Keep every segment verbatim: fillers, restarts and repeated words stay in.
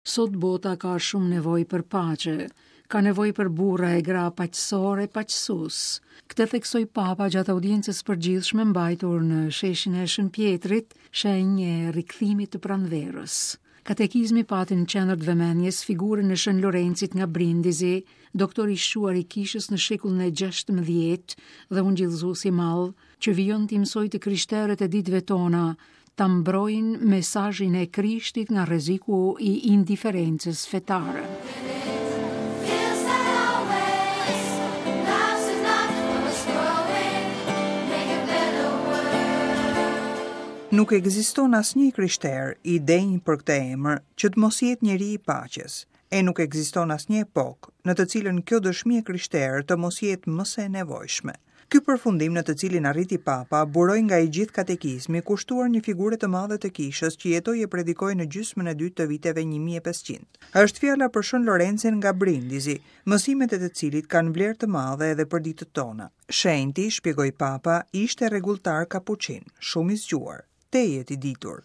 Sot bota ka shumë nevojë për paqe, ka nevojë për burra e gra paqësore e paqësues. Këtë theksoi Papa gjatë audiencës përgjithshme mbajtur në sheshin e Shën Pjetrit, shenjë e rikthimit të pranverës. Katekizmi pati në qendër të vëmendjes figurën e Shën Lorencit nga Brindisi, doktor i shquar i kishës në shekullin e gjashtëmbëdhjetë dhe ungjillëzues i madh, që vijon t'i mësojë të krishterët e ditëve tona ta mbrojnë mesazhin e Krishtit nga rreziku i indiferencës fetare. Nuk ekziston asnjë i krishterë i denjë për këtë emër që të mos jetë njeri i paqes, e nuk ekziston asnjë epokë në të cilën kjo dëshmi e krishterë të mos jetë më se e nevojshme. Ky përfundim në të cilin arriti Papa buroi nga i gjithë katekizmi kushtuar një figure të madhe të kishës që jetoi e predikoi në gjysmën e dytë të viteve një mijë e pesëqind. Është fjala për Shën Lorencin nga Brindisi, mësimet e të cilit kanë vlerë të madhe edhe për ditët tona. Shenjti, shpjegoi Papa, ishte rregulltar kapuçin, shumë i zgjuar, tejet i ditur,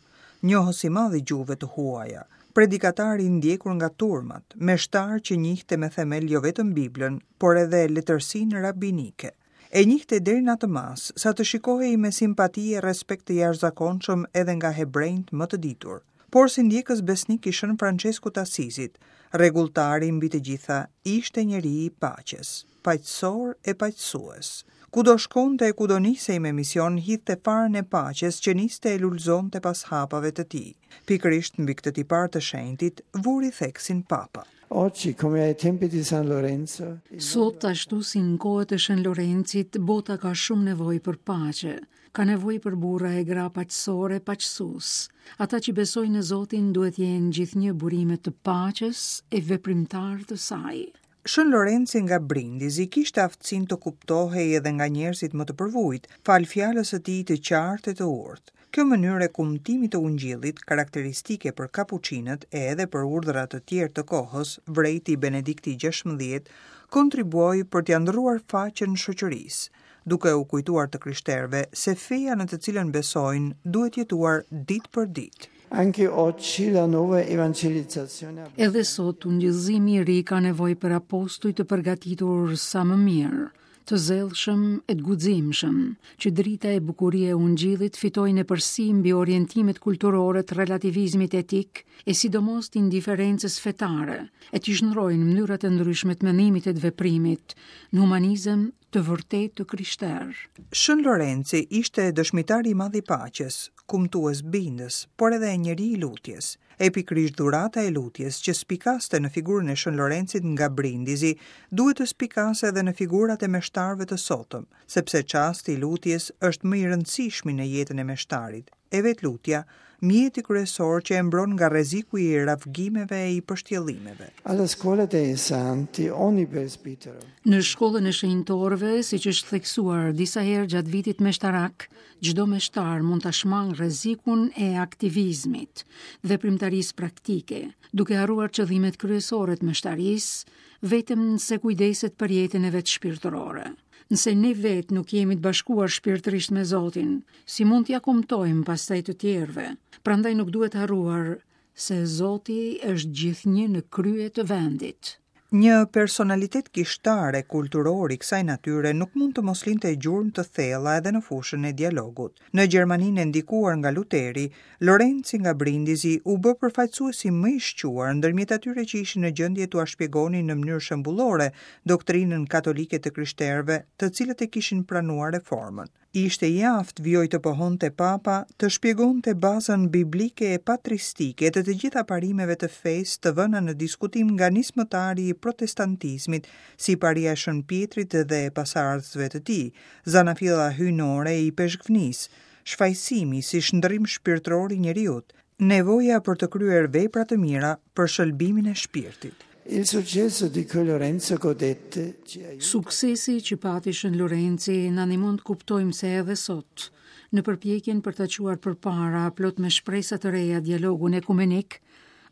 njohës i madh i gjuhëve të huaja, predikatar i ndjekur nga turmat, meshtar që njihte me themel jo vetëm Biblën, por edhe letërsinë rabinike. E njihte deri në atë masë, sa të shikohej me simpati e respekt të jashtëzakonshëm edhe nga hebrejt më të ditur. Por si ndjekës besnik i Shën Franceskut të Asizit, rregulltari mbi të gjitha ishte njeri i paqes, paqësor e paqësues. Kudo shkonte e kudo nisej me mision, hidhte farën e paqes që niste e lulëzonte pas hapave të tij. Pikërisht mbi këtë tipar të shenjtit vuri theksin Papa. Oggi, come ai tempi di San Lorenzo, Sot, ashtu si në kohët e Shën Lorencit, bota ka shumë nevojë për paqe, ka nevojë për burra e gra paqësore, paqësues. Ata që besojnë në Zotin duhet jenë gjithnjë burime të paqes e veprimtar të saj. Shën Lorenci nga Brindisi kishte aftësinë të kuptohej edhe nga njerëzit më të përvujt, fal fjalës së tij të qartë e të urtë. Kjo mënyrë e kumtimit të ungjillit, karakteristike për kapuçinët e edhe për urdhra të tjerë të kohës, vrejti Benedikti gjashtëmbëdhjetë, kontribuoi për t'ia ndërruar faqen shoqërisë, duke u kujtuar të krishterëve se feja në të cilën besojnë duhet jetuar ditë për ditë. Anche oggi la nuova evangelizzazione Edhe sot ungjillëzimi i ri ka nevojë për apostuj të përgatitur sa më mirë, të zellshëm e të guximshëm, që drita e bukuria e ungjillit fitojnë epërsi mbi orientimet kulturore të relativizmit etik e sidomos të indiferencës fetare, e t'i shndrojnë mënyrat e ndryshme të mendimit e të veprimit në humanizëm të vërtetë të krishterë. Shën Lorenci ishte dëshmitari i madh i paqes, kumtues bindës, por edhe njeri i lutjes. E pikërisht dhurata e lutjes që spikaste në figurën e Shën Lorencit nga Brindisi, duhet të spikase edhe në figurat e meshtarëve të sotëm, sepse çasti i lutjes është më i rëndësishmi në jetën e meshtarit. E vetë lutja, mjeti kryesor që e mbron nga rreziku i ravgimeve e i pështjellimeve. Alla scuola dei santi ogni presbitero. Në shkollën e shenjtorëve, siç është theksuar disa herë gjatë vitit meshtarak, çdo meshtar mund ta shmang rrezikun e aktivizmit, veprimtarisë praktike, duke harruar qëllimet kryesore të meshtarisë, vetëm nëse kujdeset për jetën e vet shpirtërore. Nëse ne vetë nuk jemi të bashkuar shpirtërisht me Zotin, si mund t'ia kumtojmë pastaj të tjerëve? Prandaj nuk duhet harruar se Zoti është gjithnjë në krye të vendit. Një personalitet kishtar e kulturor i kësaj natyre nuk mund të mos linte gjurmë të thella edhe në fushën e dialogut. Në Gjermaninë e ndikuar nga Luteri, Lorenci nga Brindisi u bë përfaqësuesi më i shquar ndërmjet atyre që ishin në gjendje t'ua shpjegonin në mënyrë shembullore doktrinën katolike të krishterëve, të cilët e kishin pranuar reformën. Ishte i aftë, vijoi të pohonte Papa, të shpjegonte bazën biblike e patristike të të gjitha parimeve të fesë të vëna në diskutim nga nismëtari i protestantizmit, si paria e Shën Pjetrit dhe e pasardhësve të tij, zanafilla hyjnore e ipeshkvnisë, shfajësimi si shndërrim shpirtëror i njeriut, nevoja për të kryer vepra të mira për shëlbimin e shpirtit. Il successo di cui Lorenzo godette ci aiuta. Suksesi që pati Shën Lorenci na ndihmon të kuptojmë se edhe sot, në përpjekjen për ta çuar përpara plot me shpresa të reja dialogun ekumenik,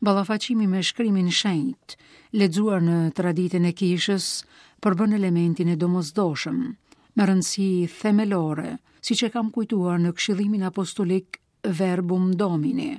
ballafaqimi me shkrimin shenjt, lexuar në traditën e kishës, përbën elementin e domosdoshëm, me rëndësi themelore, siç e kam kujtuar në këshillimin apostolik Verbum Domini.